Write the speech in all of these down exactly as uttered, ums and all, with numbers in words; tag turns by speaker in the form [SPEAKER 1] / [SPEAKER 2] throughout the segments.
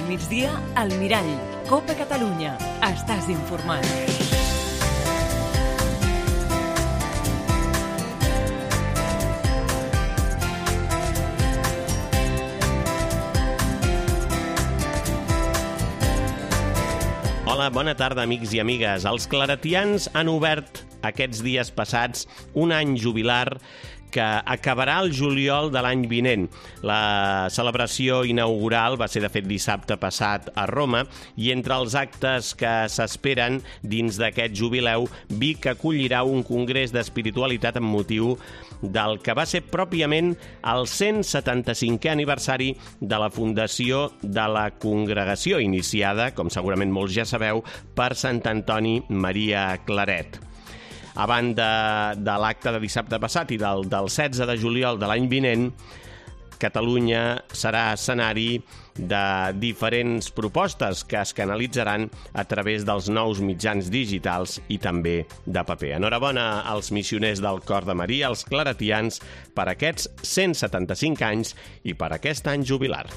[SPEAKER 1] Al migdia, al Mirall. Copa Catalunya. Estàs informat.
[SPEAKER 2] Hola, bona tarda, amics i amigues. Els claretians han obert aquests dies passats un any jubilar que acabarà el juliol de l'any vinent. La celebració inaugural va ser, de fet, dissabte passat a Roma, i entre els actes que s'esperen dins d'aquest jubileu, Vic acollirà un congrés d'espiritualitat amb motiu del que va ser pròpiament el cent setanta-cinquè aniversari de la fundació de la congregació, iniciada, com segurament molts ja sabeu, per Sant Antoni Maria Claret. A banda de l'acte de dissabte passat i del, del setze de juliol de l'any vinent, Catalunya serà escenari de diferents propostes que es canalitzaran a través dels nous mitjans digitals i també de paper. Enhorabona als missioners del Cor de Maria, els claretians, per aquests cent setanta-cinc anys i per aquest any jubilar.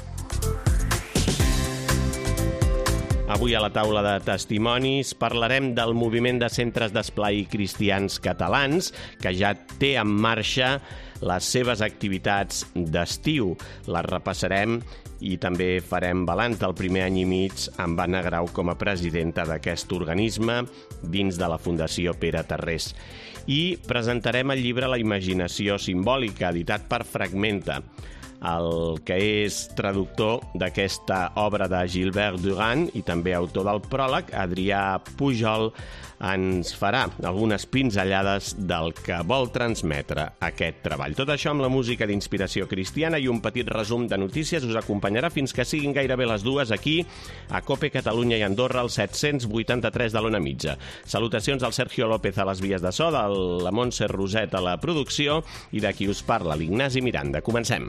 [SPEAKER 2] Avui a la taula de testimonis parlarem del moviment de centres d'esplai cristians catalans, que ja té en marxa les seves activitats d'estiu. Les repassarem i també farem balanç del primer any i mig amb Anna Grau com a presidenta d'aquest organisme dins de la Fundació Pere Tarrés. I presentarem el llibre La imaginació simbòlica, editat per Fragmenta. El que és traductor d'aquesta obra de Gilbert Durand i també autor del pròleg, Adrià Pujol, ens farà algunes pinzellades del que vol transmetre aquest treball. Tot això amb la música d'inspiració cristiana i un petit resum de notícies us acompanyarà fins que siguin gairebé les dues aquí, a Cope Catalunya i Andorra, al set-cents vuitanta-tres de l'Ona Mitja. Salutacions al Sergio López a les vies de so, de la Montse Roset a la producció i de qui us parla, l'Ignasi Miranda. Comencem.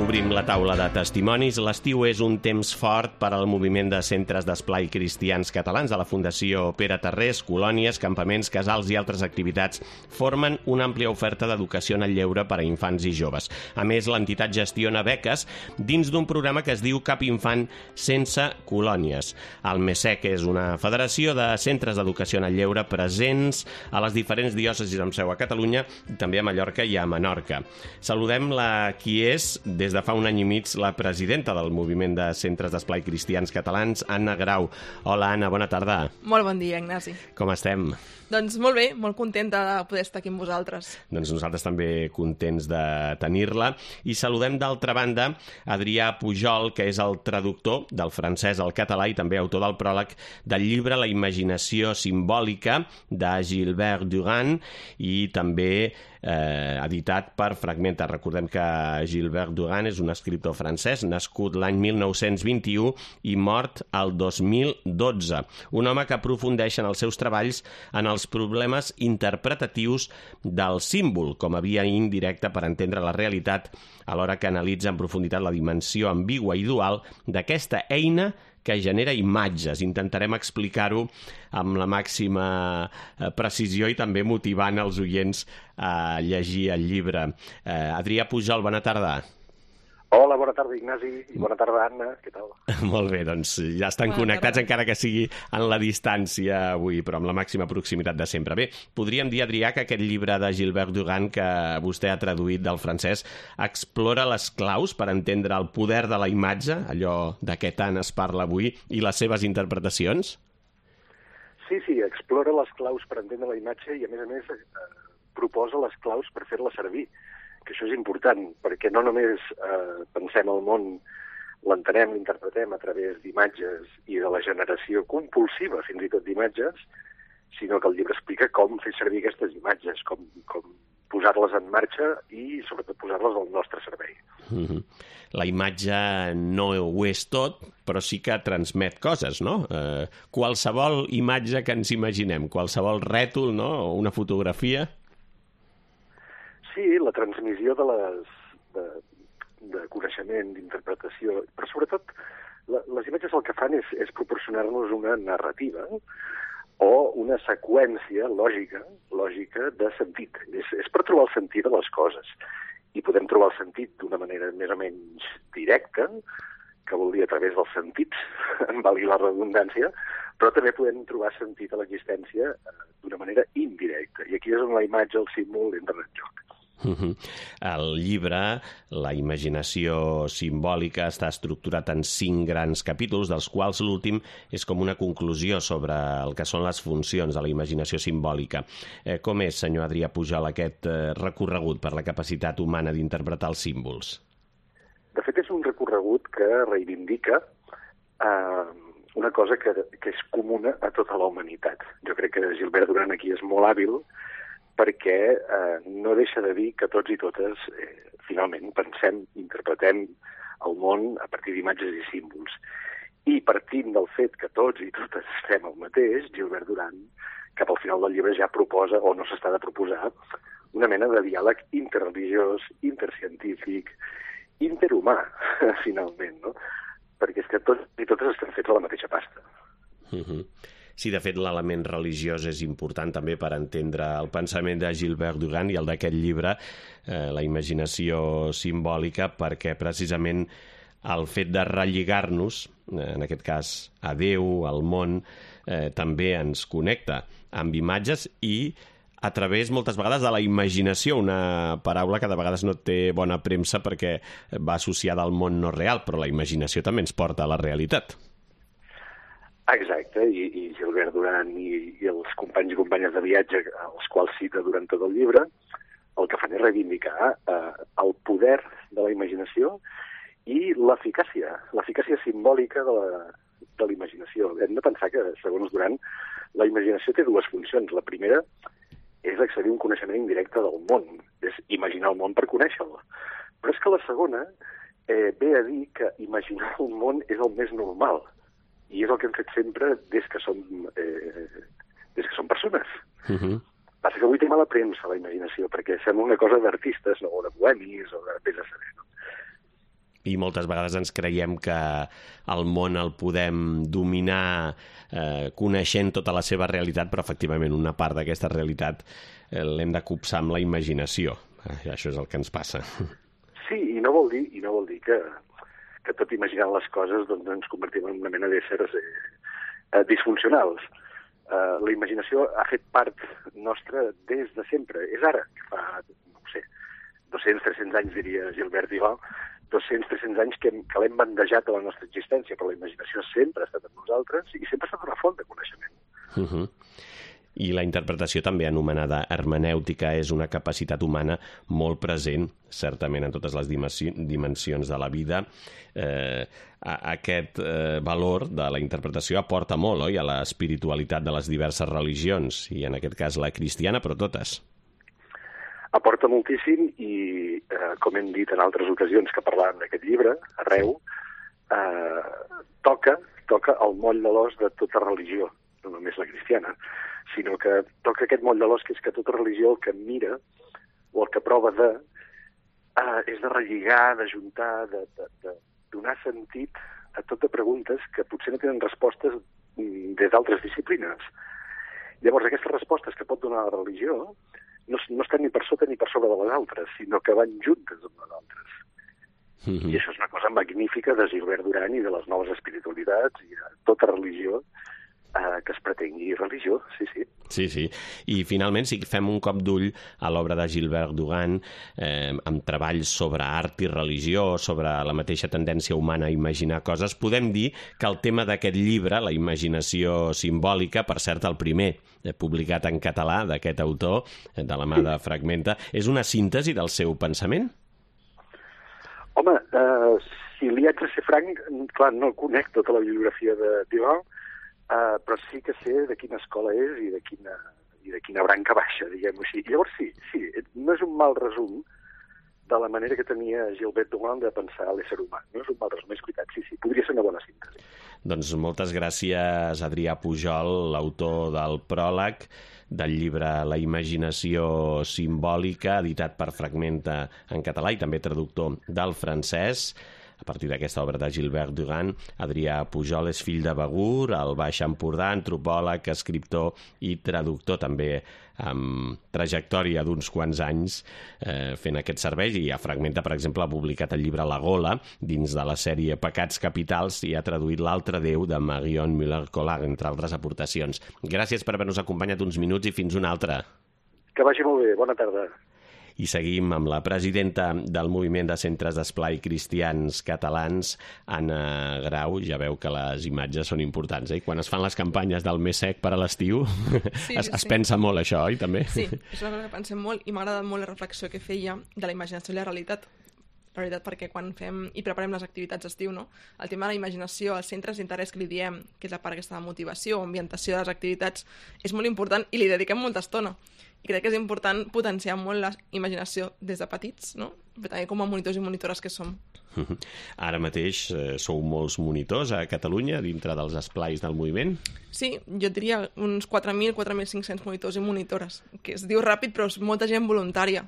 [SPEAKER 2] Obrim la taula de testimonis. L'estiu és un temps fort per al moviment de centres d'esplai cristians catalans de la Fundació Pere Tarrés. Colònies, campaments, casals i altres activitats formen una àmplia oferta d'educació en el lleure per a infants i joves. A més, l'entitat gestiona beques dins d'un programa que es diu Cap infant sense colònies. El MESEC és una federació de centres d'educació en el lleure presents a les diferents diòcesis amb seu a Catalunya i també a Mallorca i a Menorca. Saludem la qui és, des de fa un any i mig, la presidenta del moviment de centres d'esplai cristians catalans, Anna Grau. Hola, Anna, bona tarda.
[SPEAKER 3] Molt bon dia, Ignasi.
[SPEAKER 2] Com estem?
[SPEAKER 3] Doncs molt bé, molt contenta de poder estar aquí amb vosaltres.
[SPEAKER 2] Doncs nosaltres també contents de tenir-la. I saludem d'altra banda Adrià Pujol, que és el traductor del francès al català i també autor del pròleg del llibre La imaginació simbòlica de Gilbert Durand i també eh, editat per Fragmenta. Recordem que Gilbert Durand és un escriptor francès nascut l'any mil nou-cents vint-i-u i mort el dos mil dotze. Un home que aprofundeix en els seus treballs en els problemes interpretatius del símbol com a via indirecta per entendre la realitat, alhora que analitza en profunditat la dimensió ambigua i dual d'aquesta eina que genera imatges. Intentarem explicar-ho amb la màxima precisió i també motivant els oients a llegir el llibre. Eh, Adrià Pujol, bona tarda.
[SPEAKER 4] Hola, bona tarda, Ignasi, i bona tarda, Anna. Què tal?
[SPEAKER 2] Molt bé, doncs ja estan bona connectats, tarda. Encara que sigui en la distància avui, però amb la màxima proximitat de sempre. Bé, podríem dir, Adrià, que aquest llibre de Gilbert Durand que vostè ha traduït del francès explora les claus per entendre el poder de la imatge, allò de què tant es parla avui, i les seves interpretacions?
[SPEAKER 4] Sí, sí, explora les claus per entendre la imatge i, a més a més, eh, proposa les claus per fer-la servir, que això és important, perquè no només eh, pensem el món, l'entenem, l'interpretem a través d'imatges i de la generació compulsiva, fins i tot d'imatges, sinó que el llibre explica com fer servir aquestes imatges, com, com posar-les en marxa i, sobretot, posar-les al nostre servei.
[SPEAKER 2] Mm-hmm. La imatge no ho és tot, però sí que transmet coses, no? Eh, qualsevol imatge que ens imaginem, qualsevol rètol, no? O una fotografia.
[SPEAKER 4] Sí, la transmissió de les de, de coneixement, d'interpretació, però sobretot la, les imatges el que fan és, és proporcionar-nos una narrativa o una seqüència lògica, lògica de sentit. És, és per trobar el sentit de les coses. I podem trobar el sentit d'una manera més o menys directa, que vol dir a través dels sentits, en valgui la redundància, però també podem trobar sentit a l'existència d'una manera indirecta. I aquí és on la imatge, el símbol, entren en joc.
[SPEAKER 2] El llibre, La imaginació simbòlica, està estructurat en cinc grans capítols, dels quals l'últim és com una conclusió sobre el que són les funcions de la imaginació simbòlica. Eh, com és, senyor Adrià Pujol, aquest eh, recorregut per la capacitat humana d'interpretar els símbols?
[SPEAKER 4] De fet, és un recorregut que reivindica eh, una cosa que, que és comuna a tota la humanitat. Jo crec que Gilbert Duran aquí és molt hàbil perquè eh, no deixa de dir que tots i totes, eh, finalment, pensem, interpretem el món a partir d'imatges i símbols. I partint del fet que tots i totes fem el mateix, Gilbert Duran, cap al final del llibre ja proposa, o no s'està de proposar, una mena de diàleg interreligiós, intercientífic, interhumà, finalment, no? Perquè és que tots i totes estem fets a la mateixa pasta.
[SPEAKER 2] Uh-huh. Sí, de fet, l'element religiós és important també per entendre el pensament de Gilbert Duran i el d'aquest llibre, eh, La imaginació simbòlica, perquè precisament el fet de relligar-nos, eh, en aquest cas a Déu, al món, eh, també ens connecta amb imatges i a través, moltes vegades, de la imaginació, una paraula que de vegades no té bona premsa perquè va associada al món no real, però la imaginació també ens porta a la realitat.
[SPEAKER 4] Exacte, i, i Gilbert Duran i, i els companys i companyes de viatge, els quals cita durant tot el llibre, el que fan és reivindicar eh, el poder de la imaginació i l'eficàcia, l'eficàcia simbòlica de la, de la imaginació. Hem de pensar que, segons Duran, la imaginació té dues funcions. La primera és accedir a un coneixement indirecte del món, és imaginar el món per conèixer-lo. Però és que la segona eh, ve a dir que imaginar un món és el més normal, i és el que hem fet sempre des que som, eh, des que som persones. Uh-huh. Passa que avui té mala premsa la imaginació, perquè sembla una cosa d'artistes, no? O de bohemis, o de vés a saber, no?
[SPEAKER 2] I moltes vegades ens creiem que el món el podem dominar eh, coneixent tota la seva realitat, però efectivament una part d'aquesta realitat eh, l'hem de copsar amb la imaginació. Eh, això és el que ens passa.
[SPEAKER 4] Sí, i no vol dir, i no vol dir que... que tot imaginant les coses doncs, ens convertim en una mena d'éssers eh, eh, disfuncionals. Eh, la imaginació ha fet part nostra des de sempre. És ara, que fa, no sé, dos-cents tres-cents anys, diria Gilbert Duran, dos-cents tres-cents anys que, que l'hem bandejat a la nostra existència, però la imaginació sempre ha estat amb nosaltres i sempre ha estat una font de coneixement.
[SPEAKER 2] Uh-huh. I la interpretació també anomenada hermenèutica és una capacitat humana molt present, certament en totes les dimensions de la vida. Eh, aquest eh, valor de la interpretació aporta molt, oi?, a l'espiritualitat de les diverses religions, i en aquest cas la cristiana, però totes.
[SPEAKER 4] Aporta moltíssim i, eh, com hem dit en altres ocasions que parlàvem d'aquest llibre, arreu, eh, toca, toca el moll de l'os de tota religió, no només la cristiana, sinó que toca aquest moll de l'os, que és que tota religió el que mira, o el que prova de, eh, és de relligar, d'ajuntar, de, de, de donar sentit a tot de preguntes que potser no tenen respostes des d'altres disciplines. Llavors, aquestes respostes que pot donar la religió no, no estan ni per sota ni per sobre de les altres, sinó que van juntes amb les altres. Mm-hmm. I això és una cosa magnífica de Gilbert Duran i de les noves espiritualitats i de tota religió Uh, que es pretengui religió, sí, sí.
[SPEAKER 2] Sí, sí. I finalment, si fem un cop d'ull a l'obra de Gilbert Duran, eh, amb treballs sobre art i religió, sobre la mateixa tendència humana a imaginar coses, podem dir que el tema d'aquest llibre, La imaginació simbòlica, per cert, el primer eh, publicat en català d'aquest autor, eh, de la mà de Fragmenta, és una síntesi del seu pensament?
[SPEAKER 4] Home, uh, si li haig de ser franc, clar, no conec tota la bibliografia de Duran, Uh, però sí que sé de quina escola és i de quina, i de quina branca baixa, diguem-ho així. Llavors sí, sí, no és un mal resum de la manera que tenia Gilbert Duran de pensar l'ésser humà. No és un mal resum, és veritat, sí, sí, podria ser una bona síntesi.
[SPEAKER 2] Doncs moltes gràcies, Adrià Pujol, l'autor del pròleg del llibre La imaginació simbòlica, editat per Fragmenta en català i també traductor del francès. a partir d'aquesta obra de Gilbert Durand. Adrià Pujol és fill de Begur, al Baix Empordà, antropòleg, escriptor i traductor, també amb trajectòria d'uns quants anys eh, fent aquest servei, i a Fragmenta, per exemple, ha publicat el llibre La Gola, dins de la sèrie Pecats capitals, i ha traduït L'altre Déu de Marion Müller-Collard, entre altres aportacions. Gràcies per haver-nos acompanyat uns minuts i fins una altra.
[SPEAKER 4] Que vagi molt bé, bona tarda.
[SPEAKER 2] I seguim amb la presidenta del Moviment de Centres d'Esplai Cristians Catalans, Anna Grau. Ja veu que les imatges són importants, eh? Quan es fan les campanyes del més sec per a l'estiu, sí, es, sí, es sí. pensa molt això, oi, també?
[SPEAKER 3] Sí, és una cosa que pensem molt, i m'ha agradat molt la reflexió que feia de la imaginació i la realitat. La veritat, perquè quan fem i preparem les activitats d'estiu, no? El tema de la imaginació, els centres d'interès que li diem, que és la part aquesta de motivació, ambientació de les activitats, és molt important i li dediquem molta estona. I crec que és important potenciar molt la imaginació des de petits, no? Però també com a monitors i monitores que som.
[SPEAKER 2] Ara mateix eh, sou molts monitors a Catalunya, dintre dels esplais del moviment?
[SPEAKER 3] Sí, jo diria uns quatre mil, quatre mil cinc-cents monitors i monitores, que es diu ràpid, però és molta gent voluntària.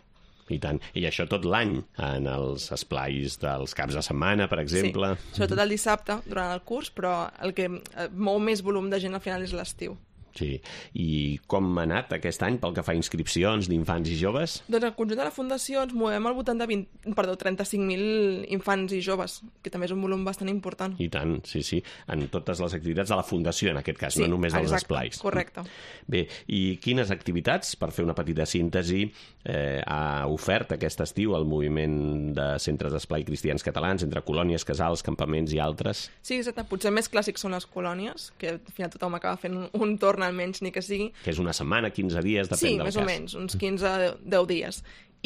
[SPEAKER 2] I tant. I això tot l'any, en els esplais dels caps de setmana, per exemple?
[SPEAKER 3] Sí, sobretot el dissabte, durant el curs, però el que mou més volum de gent al final és l'estiu.
[SPEAKER 2] Sí. I com ha anat aquest any pel que fa a inscripcions d'infants i joves?
[SPEAKER 3] Doncs al conjunt de la Fundació ens movem al voltant de vint, perdó, trenta-cinc mil infants i joves, que també és un volum bastant important.
[SPEAKER 2] I tant, sí, sí. En totes les activitats de la Fundació, en aquest cas, sí, no només dels
[SPEAKER 3] exacte,
[SPEAKER 2] esplais.
[SPEAKER 3] Correcte.
[SPEAKER 2] Bé, i quines activitats, per fer una petita síntesi, eh, ha ofert aquest estiu el moviment de centres d'esplai cristians catalans, entre colònies, casals, campaments i altres?
[SPEAKER 3] Sí, exacte. Potser més clàssics són les colònies, que al final tothom acaba fent un, un torn almenys, ni que sigui.
[SPEAKER 2] Que és una setmana, quinze dies, depèn
[SPEAKER 3] sí,
[SPEAKER 2] del cas.
[SPEAKER 3] Sí, més o menys, uns quinze a deu dies.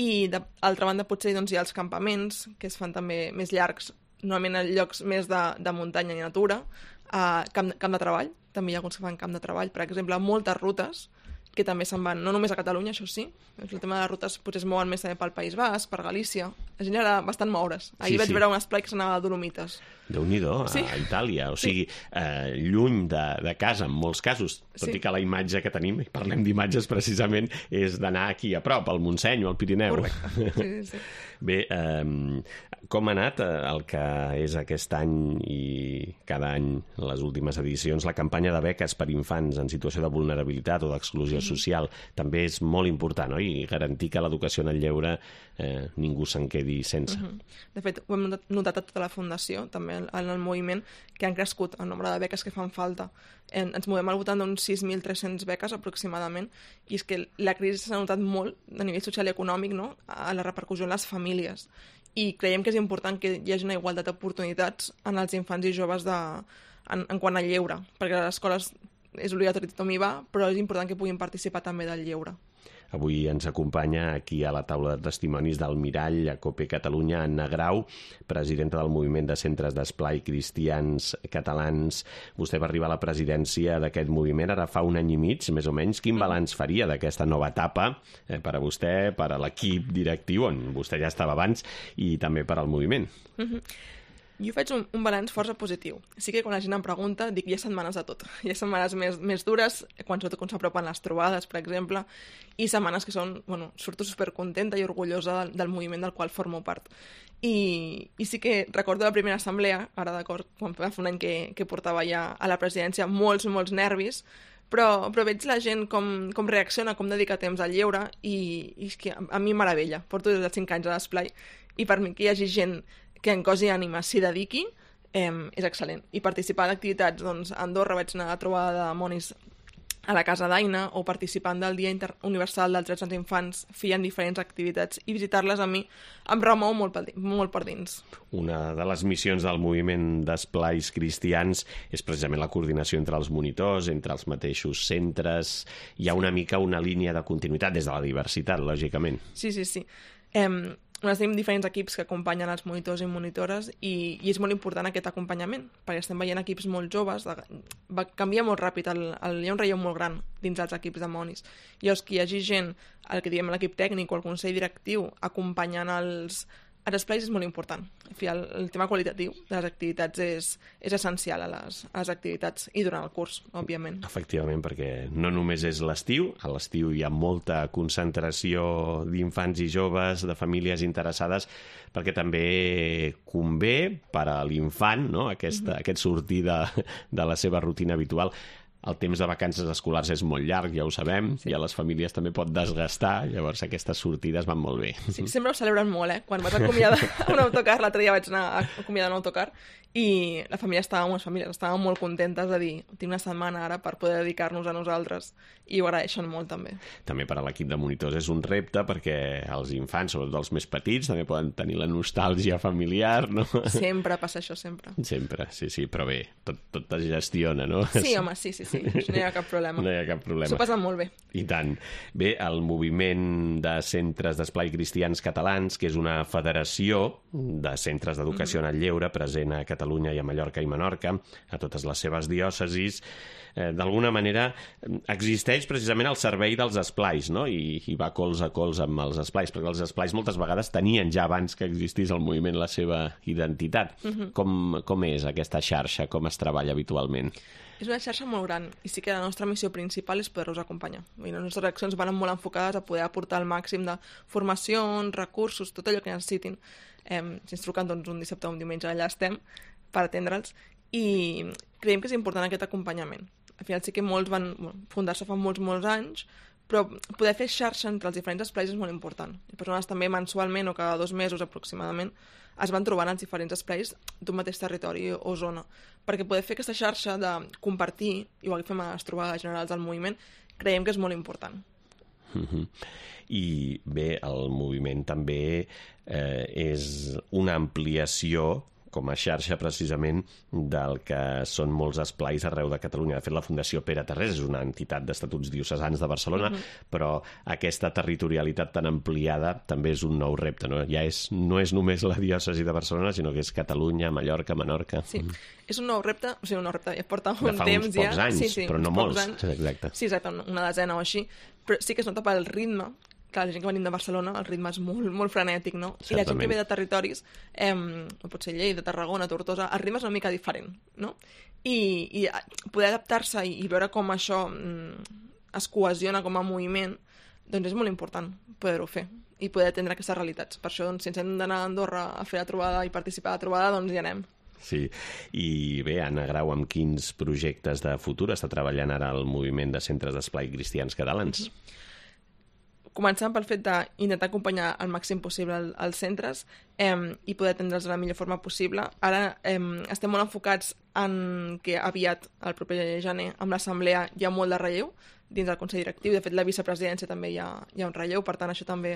[SPEAKER 3] I, d'altra banda, potser doncs, hi ha els campaments, que es fan també més llargs, normalment en llocs més de, de muntanya i natura, uh, camp, camp de treball, també hi ha alguns que fan camp de treball, per exemple, moltes rutes, que també se'n van, no només a Catalunya, això sí, el tema de les rutes potser es mouen més també pel País Basc, per Galícia, la gent era bastant moure's. Ahir sí, vaig sí. veure un esplai que s'anava a Dolomites.
[SPEAKER 2] Déu-n'hi-do, a,
[SPEAKER 3] sí.
[SPEAKER 2] a Itàlia, o sigui, sí. eh, lluny de, de casa, en molts casos, tot sí. i que la imatge que tenim, i parlem d'imatges precisament, és d'anar aquí a prop, al Montseny o al Pirineu.
[SPEAKER 3] Correcte, sí, sí.
[SPEAKER 2] Bé, eh, com ha anat el que és aquest any i cada any, les últimes edicions, la campanya de beques per infants en situació de vulnerabilitat o d'exclusió mm-hmm. social, també és molt important, oi? I garantir que l'educació en el lleure eh, ningú se'n quedi sense.
[SPEAKER 3] Mm-hmm. De fet, ho hem notat a tota la Fundació, també en el moviment, que han crescut el nombre de beques que fan falta. En, ens movem al voltant d'uns sis mil tres-cents beques aproximadament, i és que la crisi s'ha notat molt a nivell social i econòmic, no? A la repercussió en les famílies, i creiem que és important que hi hagi una igualtat d'oportunitats en els infants i joves de, en, en quant al lleure, perquè a les escoles és obligatori, tothom hi va, però és important que puguin participar també del lleure.
[SPEAKER 2] Avui ens acompanya aquí a la taula de testimonis del Mirall, a COPE Catalunya, Anna Grau, presidenta del Moviment de Centres d'Esplai Cristians Catalans. Vostè va arribar a la presidència d'aquest moviment ara fa un any i mig, més o menys. Quin balanç faria d'aquesta nova etapa eh, per a vostè, per a l'equip directiu, on vostè ja estava abans, i també per al moviment?
[SPEAKER 3] Mm-hmm. Jo faig un, un balanç força positiu. Sí que quan la gent em pregunta, dic, hi ha setmanes de tot. Hi ha setmanes més, més dures, quan sobretot quan s'apropen les trobades, per exemple, i setmanes que són, bueno, surto supercontenta i orgullosa del, del moviment del qual formo part. I, i sí que recordo la primera assemblea, ara d'acord, quan va fer un any que, que portava ja a la presidència, molts, molts nervis, però, però veig la gent com, com reacciona, com dedica temps al lleure, i, i és que a, a mi meravella. Porto des dels cinc anys a l'esplai, i per mi que hi hagi gent que en cos i ànima s'hi dediqui, eh, és excel·lent. I participar d'activitats, doncs, a Andorra vaig anar a trobar de monis a la Casa d'Aina, o participant del Dia Inter Universal dels Drets dels Infants, fent diferents activitats, i visitar-les a mi em remou molt per, molt per dins.
[SPEAKER 2] Una de les missions del moviment d'esplais cristians és precisament la coordinació entre els monitors, entre els mateixos centres. Hi ha una mica una línia de continuïtat des de la diversitat, lògicament.
[SPEAKER 3] Sí, sí, sí. Eh, Nosaltres tenim diferents equips que acompanyen els monitors i monitores, i, i és molt important aquest acompanyament, perquè estem veient equips molt joves, de, va canviar molt ràpid, el, el, hi ha un relleu molt gran dins els equips de monis. Llavors, que hi hagi gent, el que diem l'equip tècnic o el consell directiu, acompanyant els, els esplais és molt important. En fi, el, el tema qualitatiu de les activitats és, és essencial a les, a les activitats i durant el curs, òbviament.
[SPEAKER 2] Efectivament, perquè no només és l'estiu, a l'estiu hi ha molta concentració d'infants i joves, de famílies interessades, perquè també convé per a l'infant, no? Aquesta, mm-hmm. aquest sortir de, de la seva rutina habitual. El temps de vacances escolars és molt llarg, ja ho sabem, sí. I a les famílies també pot desgastar, llavors aquestes sortides van molt bé.
[SPEAKER 3] Sí, sempre ho celebren molt, eh? Quan vas acomiadar un autocar, l'altre dia vaig anar a acomiadar un autocar, i la família estava, les famílies estaven molt contentes de dir, tinc una setmana ara per poder dedicar-nos a nosaltres, i ho agraeixen molt també.
[SPEAKER 2] També per a l'equip de monitors és un repte, perquè els infants, sobretot els més petits, també poden tenir la nostàlgia familiar, no?
[SPEAKER 3] Sempre passa això, sempre.
[SPEAKER 2] Sempre, sí, sí, però bé, tot, tot es gestiona, no?
[SPEAKER 3] Sí, home, sí, sí, sí, no hi ha cap problema.
[SPEAKER 2] No hi ha cap problema.
[SPEAKER 3] S'ho passen molt bé.
[SPEAKER 2] I tant. Bé, el moviment de centres d'esplai cristians catalans, que és una federació de centres d'educació en el lleure present a Catalunya i a Mallorca i Menorca, a totes les seves diòcesis, eh, d'alguna manera existeix precisament al servei dels esplais, no? I, i va cols a cols amb els esplais, perquè els esplais moltes vegades tenien ja abans que existís el moviment la seva identitat. Uh-huh. Com, com és aquesta xarxa? Com es treballa habitualment?
[SPEAKER 3] És una xarxa molt gran i sí que la nostra missió principal és poder-los acompanyar. I les nostres accions van molt enfocades a poder aportar el màxim de formacions, recursos, tot allò que necessitin. Eh, si ens truquen doncs, un dissabte o un diumenge, allà estem per atendre'ls, i creiem que és important aquest acompanyament. Al final sí que molts van fundar-se fa molts, molts anys, però poder fer xarxa entre els diferents esplais és molt important. Les persones també mensualment o cada dos mesos aproximadament es van trobant els diferents esplais d'un mateix territori o zona, perquè poder fer aquesta xarxa de compartir, igual que fem a les trobades generals del moviment, creiem que és molt important.
[SPEAKER 2] Uh-huh. I bé, el moviment també eh, és una ampliació com a xarxa precisament del que són molts esplais arreu de Catalunya. De fet, la Fundació Pere Tarrés és una entitat d'estatuts diocesans de Barcelona, uh-huh. però aquesta territorialitat tan ampliada també és un nou repte, no? Ja és, no és només la diòcesi de Barcelona, sinó que és Catalunya, Mallorca, Menorca.
[SPEAKER 3] Sí, uh-huh. és un nou repte, o sigui, un nou repte, ja porta
[SPEAKER 2] un
[SPEAKER 3] temps ja.
[SPEAKER 2] De fa uns pocs anys,
[SPEAKER 3] sí, sí,
[SPEAKER 2] però no molts.
[SPEAKER 3] Anys.
[SPEAKER 2] Exacte.
[SPEAKER 3] Sí, exacte, una desena o així, però sí que es nota pel ritme. Clar, la gent que venim de Barcelona, el ritme és molt, molt frenètic, no? Certament. I la gent que ve de territoris, eh, no pot ser Lleida, Tarragona, Tortosa, el ritme és una mica diferent, no? I, i poder adaptar-se i, i veure com això mm, es cohesiona com a moviment, doncs és molt important poder-ho fer i poder atendre aquestes realitats. Per això, doncs, si ens hem d'anar a Andorra a fer la trobada i participar a la trobada, doncs hi anem.
[SPEAKER 2] Sí, i bé, Anna Grau, amb quins projectes de futur està treballant ara el moviment de centres d'esplai cristians catalans? Mm-hmm.
[SPEAKER 3] Començant pel fet d'intentar acompanyar al màxim possible els centres eh, i poder atendre'ls de la millor forma possible. Ara eh, estem molt enfocats en que aviat, el proper gener, amb l'assemblea hi ha molt de relleu dins del Consell Directiu. De fet, la vicepresidència també hi ha, hi ha un relleu, per tant, això també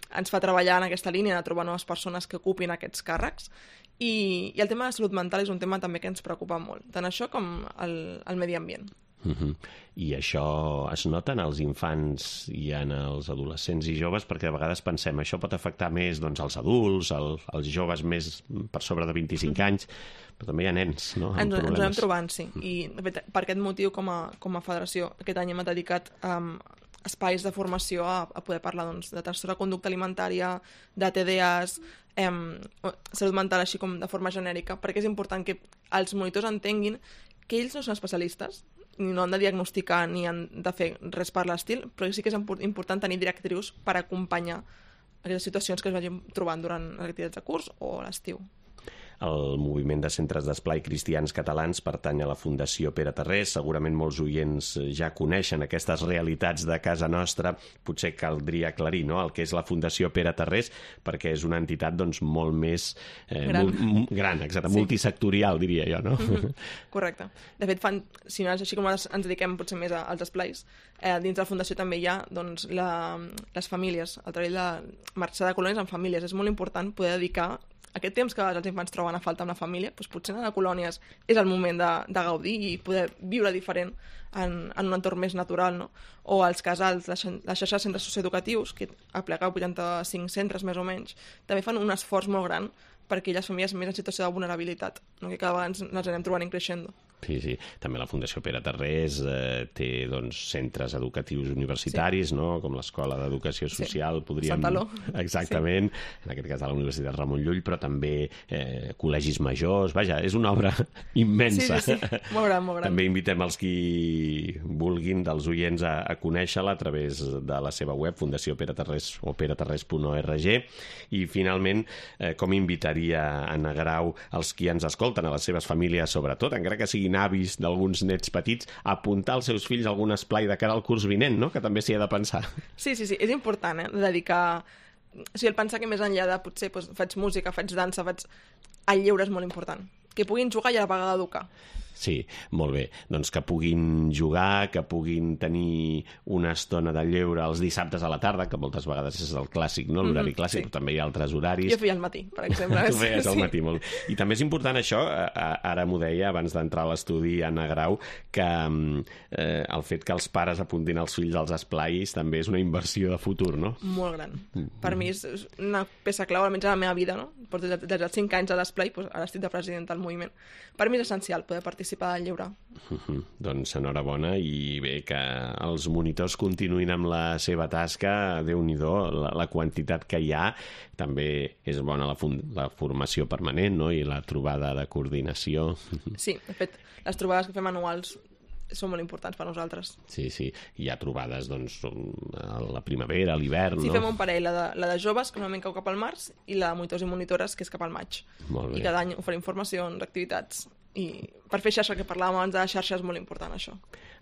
[SPEAKER 3] ens fa treballar en aquesta línia de trobar noves persones que ocupin aquests càrrecs. I, i el tema de salut mental és un tema també que ens preocupa molt, tant això com el, el medi ambient.
[SPEAKER 2] Uh-huh. I això es nota en els infants i en els adolescents i joves, perquè a vegades pensem això pot afectar més doncs, els adults, el, els joves més per sobre de vint-i-cinc uh-huh. anys, però també hi ha nens, no?
[SPEAKER 3] Ens, ens ho anem trobant, sí. I de fet, per aquest motiu, com a, com a federació, aquest any hem dedicat um, espais de formació a, a poder parlar doncs, de trastorn de conducta alimentària, de T D As, em, salut mental així com de forma genèrica, perquè és important que els monitors entenguin que ells no són especialistes, ni no han de diagnosticar ni han de fer res per l'estil, però sí que és important tenir directrius per acompanyar aquestes situacions que es vagin trobant durant les activitats de curs o a l'estiu.
[SPEAKER 2] El moviment de centres d'esplai cristians catalans pertany a la Fundació Pere Tarrés. Segurament molts oients ja coneixen aquestes realitats de casa nostra. Potser caldria aclarir, no?, el que és la Fundació Pere Tarrés, perquè és una entitat doncs, molt més eh,
[SPEAKER 3] gran.
[SPEAKER 2] Mul gran, exacte, sí. multisectorial, diria jo, no?
[SPEAKER 3] Mm-hmm. Correcte. De fet, fan, si no és així com ens dediquem potser més als esplais, eh, dins de la Fundació també hi ha doncs, la, les famílies, el treball de marxar de colònies en famílies. És molt important poder dedicar aquest temps que els infants troben a falta amb la família, doncs potser anar a colònies és el moment de, de gaudir i poder viure diferent en, en un entorn més natural, no? O els casals, la, la xarxa de centres socioeducatius, que aplega vuitanta-cinc centres més o menys, també fan un esforç molt gran per aquelles famílies més en situació de vulnerabilitat, no? Que cada vegada ens, ens anem trobant en creixendo.
[SPEAKER 2] Sí, sí. També la Fundació Pere Tarrés eh, té doncs, centres educatius universitaris, sí. no? Com l'Escola d'Educació Social. Sí. Podríem...
[SPEAKER 3] Santaló.
[SPEAKER 2] Exactament. Sí. En aquest cas a la Universitat Ramon Llull, però també eh, col·legis majors. Vaja, és una obra immensa.
[SPEAKER 3] Sí, sí, sí. Molt gran, molt gran.
[SPEAKER 2] També invitem els qui vulguin, dels oients, a, a conèixer-la a través de la seva web, Fundació Pere Tarrés o peretarrés punt org. I, finalment, eh, com invitaria Anna Grau els qui ens escolten, a les seves famílies, sobretot, encara que siguin avis d'alguns nets petits, a apuntar als seus fills a algun esplai de cara al curs vinent, no? Que també s'hi ha de pensar.
[SPEAKER 3] Sí, sí, sí, és important, eh? Dedicar... O sigui, el pensar que més enllà de, potser, doncs, faig música, faig dansa, faig... El lleure és molt important. Que puguin jugar i a la vegada educar.
[SPEAKER 2] Sí, molt bé. Doncs que puguin jugar, que puguin tenir una estona de lleure els dissabtes a la tarda, que moltes vegades és el clàssic, no? L'horari mm -hmm, clàssic, sí. Però també hi ha altres horaris.
[SPEAKER 3] Jo feia al matí, per exemple.
[SPEAKER 2] Tu feies al
[SPEAKER 3] sí.
[SPEAKER 2] matí, molt bé. I també és important això, ara m'ho deia abans d'entrar a l'estudi Anna Grau, que eh, el fet que els pares apuntin els fills als esplais també és una inversió de futur, no?
[SPEAKER 3] Molt gran. Mm -hmm. Per mi és una peça clau, almenys a la meva vida, no? Porto des dels cinc anys a l'esplai, doncs ara estic de presidenta del moviment. Per mi és essencial poder participar del lleure.
[SPEAKER 2] Uh -huh. Doncs enhorabona, i bé, que els monitors continuïn amb la seva tasca. Déu-n'hi-do la, la quantitat que hi ha. També és bona la, la formació permanent, no? I la trobada de coordinació.
[SPEAKER 3] Sí, de fet, les trobades que fem anuals són molt importants per nosaltres.
[SPEAKER 2] Sí, sí. Hi ha trobades, doncs, a la primavera, a l'hivern,
[SPEAKER 3] sí,
[SPEAKER 2] no?
[SPEAKER 3] Sí, fem un parell, la de, la de joves, que normalment cau cap al març, i la de monitors i monitores, que és cap al maig.
[SPEAKER 2] Molt bé.
[SPEAKER 3] I cada any oferim formacions, activitats, i per fer xarxa, que parlàvem abans de la xarxa, és molt important, això.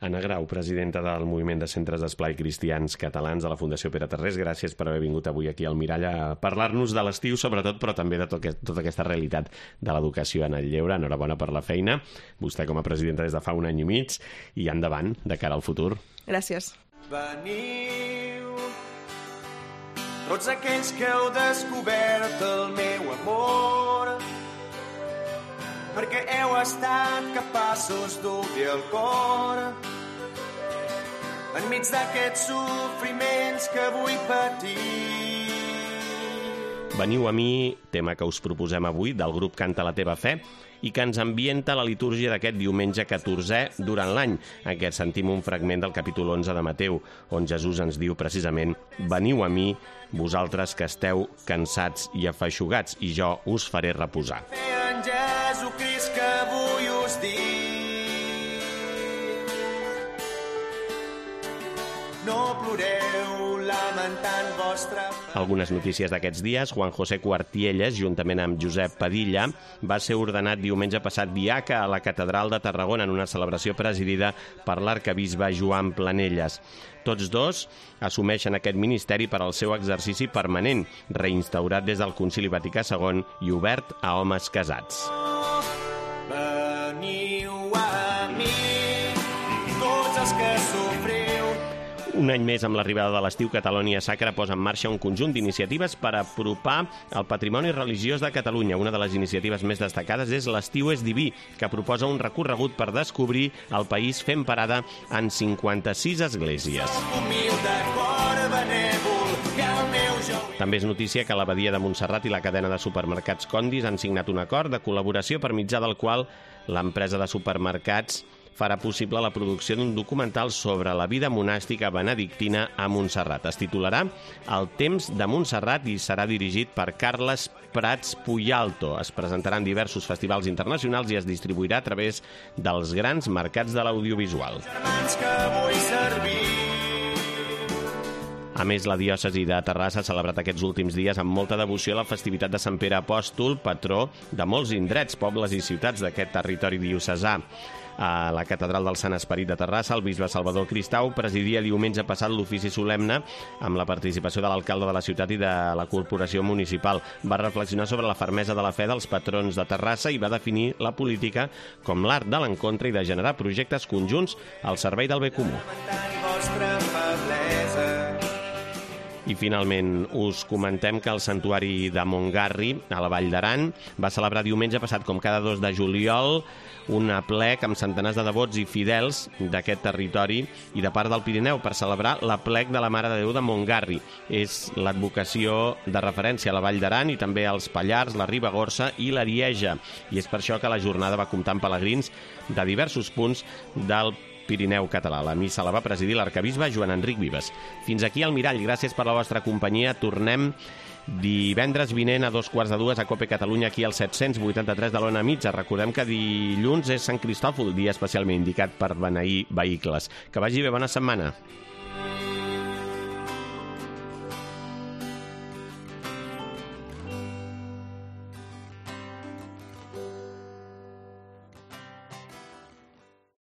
[SPEAKER 2] Anna Grau, presidenta del Moviment de Centres d'Esplai Cristians Catalans de la Fundació Pere Tarrés, gràcies per haver vingut avui aquí al Mirall a parlar-nos de l'estiu, sobretot, però també de tot, tota aquesta realitat de l'educació en el lleure. Enhorabona per la feina, vostè com a presidenta des de fa un any i mig, i endavant, de cara al futur.
[SPEAKER 3] Gràcies.
[SPEAKER 5] Veniu, tots aquells que heu descobert el meu amor, perquè heu estat capaços d'obrir el cor enmig d'aquests sofriments que vull patir.
[SPEAKER 2] Veniu a mi, tema que us proposem avui, del grup Canta la teva fe, i que ens ambienta la litúrgia d'aquest diumenge catorzè durant l'any, en què sentim un fragment del capítol onze de Mateu, on Jesús ens diu precisament: veniu a mi, vosaltres que esteu cansats i afeixugats, i jo us faré reposar.
[SPEAKER 5] En Jesucrist que avui us dic, no ploreu lamentant vostra...
[SPEAKER 2] Algunes notícies d'aquests dies. Juan José Cuartielles, juntament amb Josep Padilla, va ser ordenat diumenge passat diaca a la Catedral de Tarragona en una celebració presidida per l'arcabisbe Joan Planelles. Tots dos assumeixen aquest ministeri per al seu exercici permanent, reinstaurat des del Concili Vaticà segon i obert a homes casats.
[SPEAKER 5] Veniu a mi, tots els que sofriu.
[SPEAKER 2] Un any més amb l'arribada de l'estiu, Catalunya Sacra posa en marxa un conjunt d'iniciatives per apropar el patrimoni religiós de Catalunya. Una de les iniciatives més destacades és l'Estiu és Diví, que proposa un recorregut per descobrir el país fent parada en cinquanta-sis esglésies. També és notícia que l'Abadia de Montserrat i la cadena de supermercats Condis han signat un acord de col·laboració per mitjà del qual l'empresa de supermercats farà possible la producció d'un documental sobre la vida monàstica benedictina a Montserrat. Es titularà El temps de Montserrat i serà dirigit per Carles Prats Puyalto. Es presentarà en diversos festivals internacionals i es distribuirà a través dels grans mercats de l'audiovisual. A més, la diòcesi de Terrassa ha celebrat aquests últims dies amb molta devoció la festivitat de Sant Pere Apòstol, patró de molts indrets, pobles i ciutats d'aquest territori diocesà. A la Catedral del Sant Esperit de Terrassa, el bisbe Salvador Cristau presidia diumenge passat l'ofici solemne amb la participació de l'alcalde de la ciutat i de la corporació municipal. Va reflexionar sobre la fermesa de la fe dels patrons de Terrassa i va definir la política com l'art de l'encontre i de generar projectes conjunts al servei del bé comú. I finalment us comentem que el Santuari de Montgarri, a la Vall d'Aran, va celebrar diumenge passat, com cada dos de juliol, un aplec amb centenars de devots i fidels d'aquest territori i de part del Pirineu per celebrar l'aplec de la Mare de Déu de Montgarri. És l'advocació de referència a la Vall d'Aran i també als Pallars, la Ribagorça i l'Arieja. I és per això que la jornada va comptar amb pelegrins de diversos punts del Pirineu català. La missa la va presidir l'arquebisbe Joan Enric Vives. Fins aquí el Mirall. Gràcies per la vostra companyia. Tornem divendres vinent a dos quarts de dues a Cope Catalunya, aquí al set-cents vuitanta-tres de l'Ona Mitja. Recordem que dilluns és Sant Cristòfol, dia especialment indicat per beneir vehicles. Que vagi bé, bona setmana.